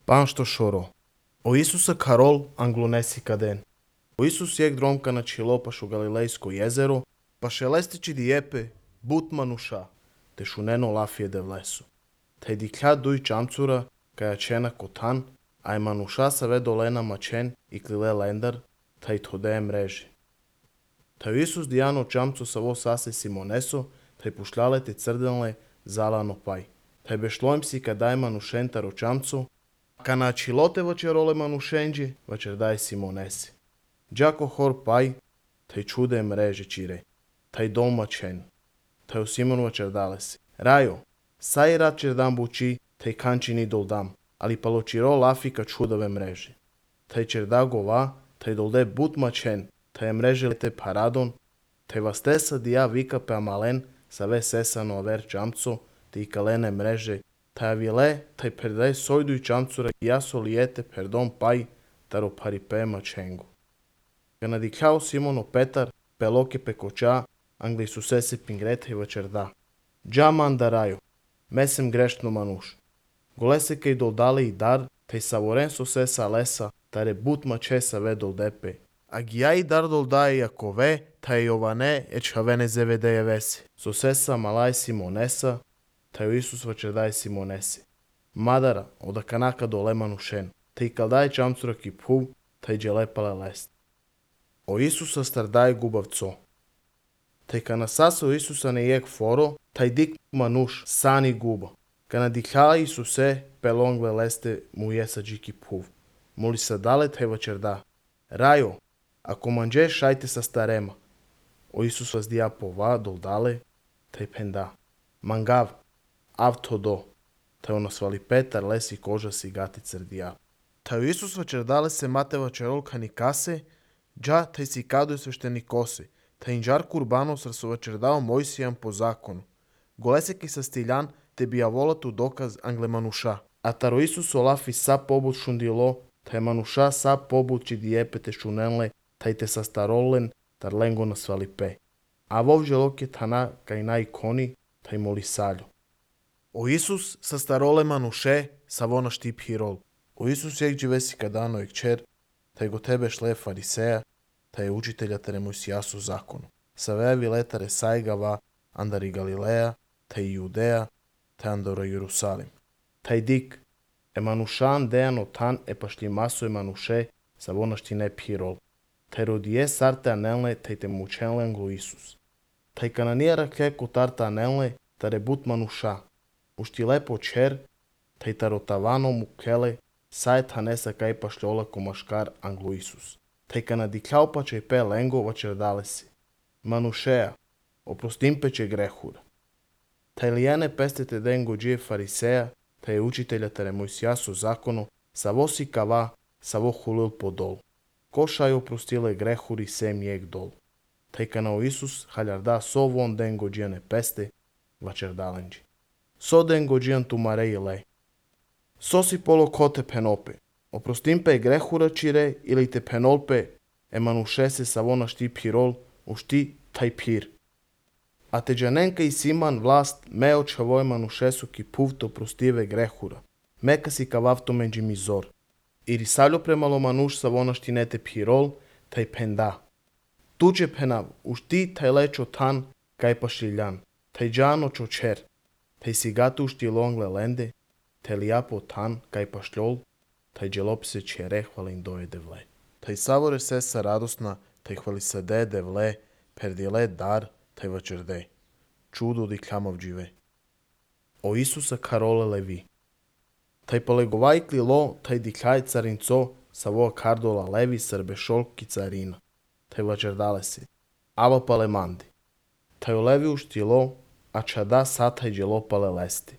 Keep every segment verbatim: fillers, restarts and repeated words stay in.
Панšto шоро. O Isusa Karol anglonesi kaden. O Isus jek dromka na čilopaš u Galilejsko jezero, pa šelestići dijepe, but manuša, te šuneno lafije de vlesu. Te dikля duj čamcura, kaja čena kotan, a je manuša sa ve dolena mačen i klile lendar, ta i tode mreži. Ta Isus dijano čamcu sa vo sase Simoneso, ta i pušljale te crdenle zalano paj. Ta bešlojm si kadaj manušentaro čamcu, ka na čilote vačerole manušenđi, vačer daj Simonesi. Đako hor paj, taj čude mreže čire, taj dol mačen, taj u Simon vačer dale si. Rajo, saj rad čer dam buči, taj kančini dol dam, ali palo čiro lafika čudove mreže. Taj čer da gova, taj dolde but mačen, taj mreže lete paradon, taj vas tesa dija vika pe amalen, sa ve sesano aver čamco, te i kalene mreže, taj avile, taj perdaj sojdu i čamcura jaso lijete perdon paj, taro paripe mačengu. Ga nadikljao Simono Petar, peloke pekoča, angli su sese pingrete i vačerda. Dža mandarajo, mesem greštno manuš. Golese kaj doldale i dar, taj savoren su sesa lesa, tare but mačesa ve doldepe. A gija i dar doldaje Jakove, taj Jovane eč havene zevedeje vesi. So sesa malaj Simonesa, taj Isus vačerdaj Simonesi. Madara, oda kanaka dole manušen, taj kaldaj čamcura ki puv, taj dželepale lest. O Isusa stardaj gubavco. Taj kana sasa Isusa ne jek foro, taj dik manuš sani guba. Kana dikljala Isuse, pelongle leste mu jesa džiki puv. Muli sa dale taj vačerda. Rajo, ako manđe šajte sa starema. O Isus vas dija pova dol dale, taj penda. Mangav, av to do. Taj ono svali Petar lesi koža si gati crdija. Taj Isus vačerdale se mate vačerol kani kase, dža taj si kado je svešteni kose, taj inđar kurbano sar su vačerdao Mojsijan po zakonu. Goleseki sa stiljan te bija volatu dokaz angle manuša. A taro Isus olafi sa pobut šundilo, taj manuša sa pobut či dijepete šunenle, taj te sa starolen, tar lengo na svalipe. A vovže loke tana kaj na ikoni, taj moli salju. O Isus sa starole manuše, sa vona štip hirol. O Isus jek dživesi kadano ek čer, taj go tebe šle fariseja, taj je učitelja tere Mojsijasu zakonu. Sa vevi letare sajgava, andari Galileja, taj Judeja, taj andora Jerusalim. Taj dik, e manušan dejano tan e pašli maso e manuše, sa vona štine pirol. Taj rodije sarte anelne, taj te mučenle anglo Isus. Taj kananijara keko tarta anelne, tare but manuša. Ušti lepo čer, taj tarotavano mukele, saje tanesa kaj pašljola komaškar anglo Isus. Taj kana dikljao pače pe lengo vačerdale si. Manušeja, oprostim peče grehura. Taj lijene pestete dengo džije fariseja, taj je učitelja tere Mojsijasu zakonu, sa vo si kava, sa vo hulil podol. Košaj oprostile grehuri sem jek dol. Taj kana o Isus haljarda so von dengo džijane peste, vačerdalenđi. So dengo džijan tu mareji lej. So si polo kote penope. Oprostim pe grehura čire ili te penolpe, e manušese sa vona šti pirol, u šti taj pir. A te džanenka i Siman vlast me očavoj manušesu ki puvto prostive grehura. Meka si kavavto menđi mizor. I risaljo premalo manuš sa vona šti nete pirol, taj penda. Tuđe penav, u šti taj lečo tan, kaj pašiljan, taj džano čočer, taj si gatu u šti longle lende, taj lijapo tan, kaj pašljol, taj dželopise čere hvalin doje devle. Taj savore sesa radosna, taj hvali sade devle, perdile dar, taj vačerde. Čudo di klamav džive. O Isusa Karole levi. Taj palegovajkli lo, taj dikljaj carinco, sa vo kardola levi srbe šolki carina. Taj vačerdale si. Ava pale mandi. Taj olevi ušti lo, a čada sataj dželopale lesti.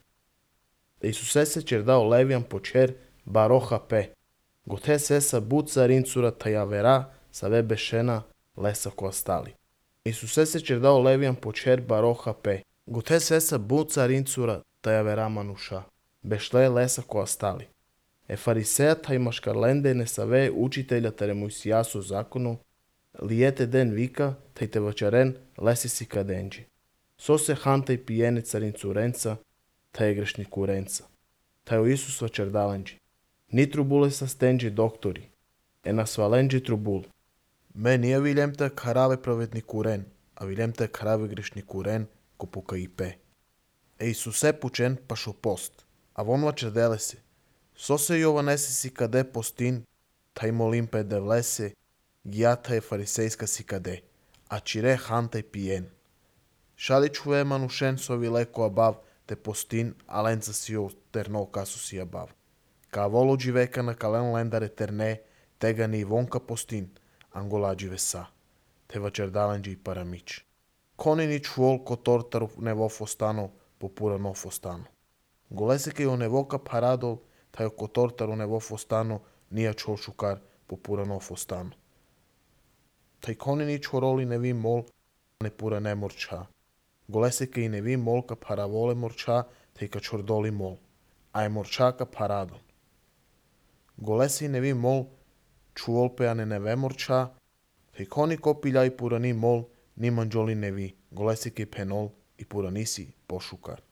Da Isuse se čerdao levijan počer, baroha pe. Gote sesa but carincura taj avera, sa ve bešena lesa ko stali. Isuse se čerdao levijan počer baroha pe. Gote sesa but carincura taj avera manuša. Bešle lesa ko stali. E fariseja taj maškarlende ne sa ve učitelja tere Mojsijasu zakonu, lijete den vika, taj te vačaren lesi si kadenđi. So se hantaj pijene carincurenca, taj je grešnik urenca. Taj o Isus vačerdalenđi. Ni trubule sa stenđi doktori. E na svalenđi trubul. Me nije viljem te karave pravednik uren, a viljem te karave grešnik uren, ko puka i pe. E Isuse pučen pa šo post, a von vače delese. So se Jovanesi si kade postin, taj molim pe de vlese, giata je farisejska si kade, a čire hantaj pijen. Šali čuve manušen so vileko abav, te postin, a lenca si jo terno kasu si abav. Ka volo dživeka na kalen lendare terne, tega ni vonka postin, angola džive sa, te vačer dalenđi paramić. Koni ni čuol ko tortaru nevo fostano, popura no fostano. Golese ke jo nevoka paradol, taj ko tortaru nevo fostano, nija čuol šukar, popura no fostano. Taj koni ni čuoroli nevi mol, ne pura ne morča. Golese ke i nevi molka paravole morča, taj ka čordoli mol, a je morčaka paradon. Golesi nevi mol, čuol pe ane neve morča, taj koni ko piljaj pura ni mol, ni manđoli nevi, golesi ke penol i pura nisi pošukar.